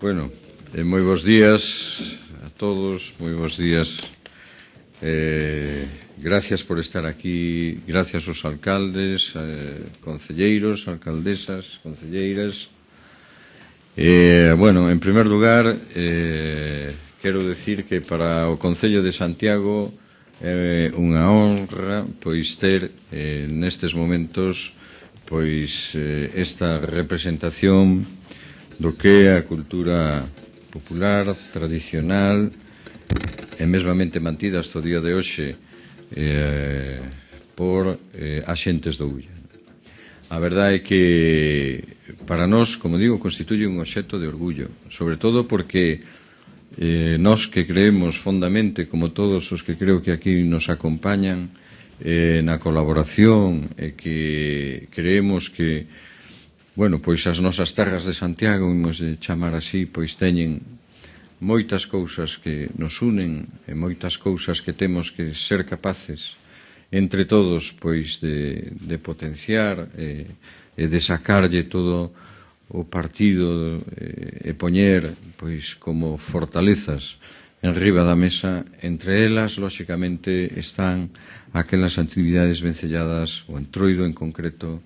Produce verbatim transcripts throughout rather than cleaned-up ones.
Bueno, eh, moi bons días a todos, moi bons días. Eh, gracias por estar aquí, gracias aos alcaldes, eh, concelleiros, alcaldesas, concelleiras. Eh, bueno, en primer lugar, eh, quero decir que para o Concello de Santiago é eh, unha honra pois ter eh, nestes momentos pois eh, esta representación do que é a cultura popular, tradicional e mesmamente mantida hasta o día de hoxe eh, por eh, axentes do Ulla. A verdade é que para nós, como digo, constituye un obxecto de orgullo, sobre todo porque eh, nós que creemos fondamente, como todos os que creo que aquí nos acompañan, eh, na colaboración e que creemos que bueno, pois as nosas terras de Santiago, imos de chamar así, pois teñen moitas cousas que nos unen e moitas cousas que temos que ser capaces entre todos pois de, de potenciar e, e de sacarlle todo o partido e, e poñer pois como fortalezas en riba da mesa. Entre elas, lóxicamente, están aquelas actividades vencelladas, o entroido en concreto,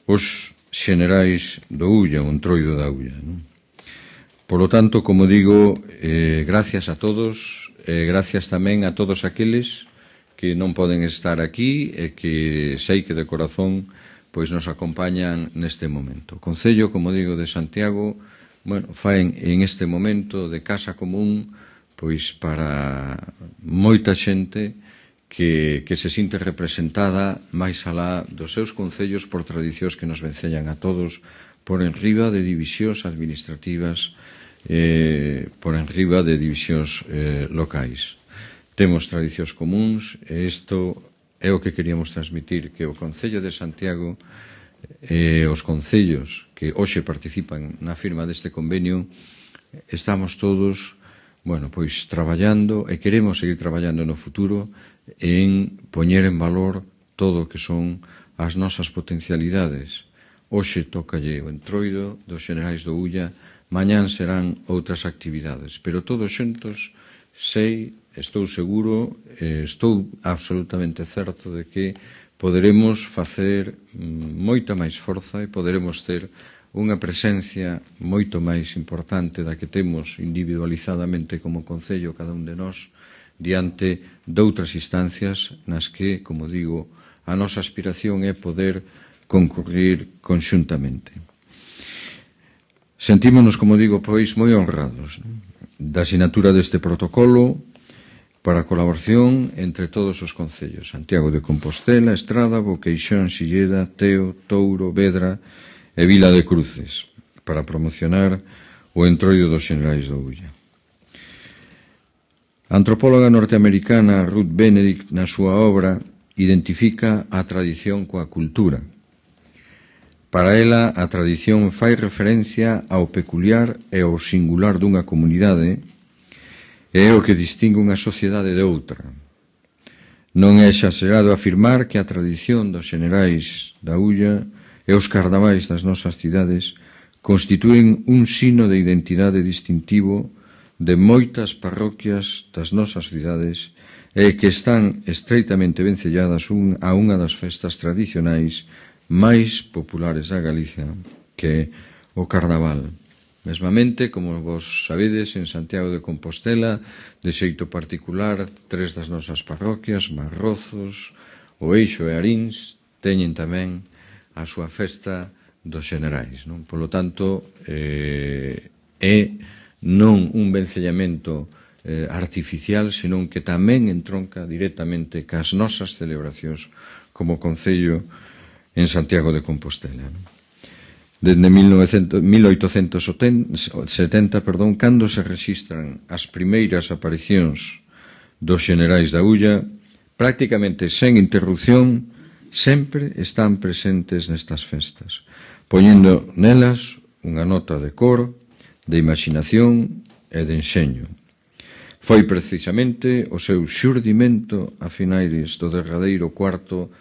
os xenerais do Ulla, o entroido da Ulla, non? Por lo tanto, como digo, eh, gracias a todos, eh, gracias tamén a todos aqueles que non poden estar aquí e que sei que de corazón pois nos acompañan neste momento. O Concello, como digo, de Santiago, bueno, faen en este momento de casa común pois para moita xente que, que se sinte representada máis alá dos seus concellos por tradicións que nos vencellan a todos por enriba de divisións administrativas, eh, por enriba de divisións eh, locais. Temos tradicións comuns e isto é o que queríamos transmitir, que o Concello de Santiago e eh, os concellos que hoxe participan na firma deste convenio estamos todos, bueno, pois traballando e queremos seguir traballando no futuro en poñer en valor todo o que son as nosas potencialidades. Hoxe tócalle o entroido dos xenerais do Ulla, mañán serán outras actividades, pero todos xuntos sei, estou seguro, eh, estou absolutamente certo de que poderemos facer moita máis forza e poderemos ter unha presencia moito máis importante da que temos individualizadamente como Concello cada un de nós diante doutras instancias nas que, como digo, a nosa aspiración é poder concurrir conxuntamente. Sentímonos, como digo, pois, moi honrados da asinatura deste protocolo para a colaboración entre todos os concellos: Santiago de Compostela, Estrada, Boqueixón, Silleda, Teo, Touro, Vedra e Vila de Cruces, para promocionar o entroido dos xenerais do Ulla. A antropóloga norteamericana Ruth Benedict, na súa obra, identifica a tradición coa cultura. Para ela, a tradición fai referencia ao peculiar e ao singular dunha comunidade e é o que distingue unha sociedade de outra. Non é exagerado afirmar que a tradición dos xenerais da Ulla e os carnavais das nosas cidades constitúen un sino de identidade distintivo de moitas parroquias das nosas cidades e que están estreitamente vencelladas un, a unha das festas tradicionais máis populares da Galicia, que é o Carnaval. Mesmamente, como vos sabedes, en Santiago de Compostela, de xeito particular, tres das nosas parroquias, Marrozos, o Eixo e Arins, teñen tamén a súa festa dos xenerais, non? Polo tanto, eh, é non un vencellamento eh, artificial, senón que tamén entronca directamente cas nosas celebracións como Concello en Santiago de Compostela. Desde mil oitocentos setenta, perdón, cando se rexistran as primeiras aparicións dos xenerais da Ulla, prácticamente sen interrupción, sempre están presentes nestas festas, poñendo nelas unha nota de cor, de imaginación e de enxeño. Foi precisamente o seu xurdimento a finais do derradeiro cuarto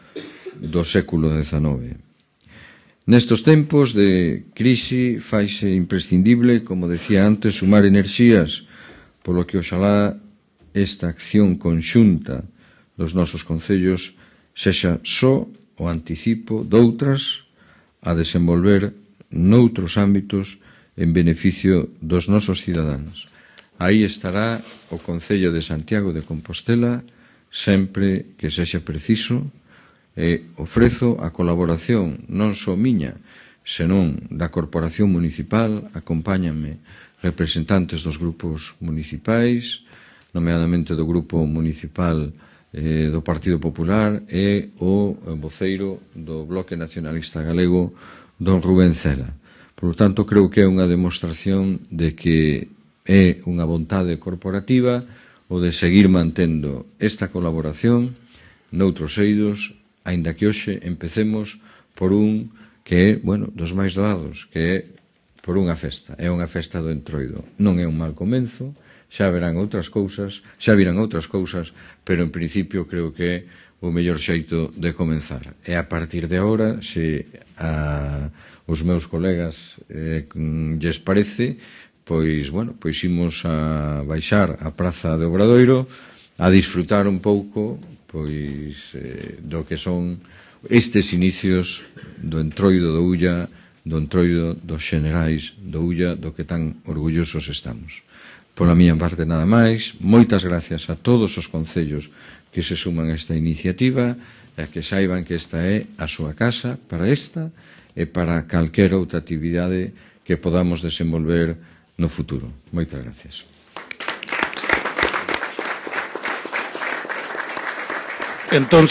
do século dezanove. Nestos tempos de crise faise imprescindible, como decía antes, sumar enerxías, polo que oxalá esta acción conxunta dos nosos concellos sexa só o anticipo doutras a desenvolver noutros ámbitos en beneficio dos nosos cidadáns. Aí estará o Concello de Santiago de Compostela sempre que sexa preciso e ofrezo a colaboración non só miña, senón da Corporación Municipal. Acompáñanme representantes dos grupos municipais, nomeadamente do Grupo Municipal eh, do Partido Popular e o voceiro do Bloque Nacionalista Galego, don Rubén Cela. Por lo tanto, creo que é unha demostración de que é unha vontade corporativa o de seguir mantendo esta colaboración noutros eidos, aínda que hoxe empecemos por un que é, bueno, dos máis doados, que é por unha festa. É unha festa do Entroido. Non é un mal comenzo, xa verán outras cousas, xa virán outras cousas, pero en principio creo que é o mellor xeito de comenzar. E a partir de agora, se a, os meus colegas eh, lles parece, pois, bueno, pois imos a baixar a Praza de Obradoiro a disfrutar un pouco pois eh, do que son estes inicios do Entroido do Ulla, do Entroido dos Xenerais do Ulla, do que tan orgullosos estamos. Pola miña parte nada máis, moitas gracias a todos os concellos que se suman a esta iniciativa e que saiban que esta é a súa casa para esta e para calquera outra actividade que podamos desenvolver no futuro. Moitas gracias. Entonces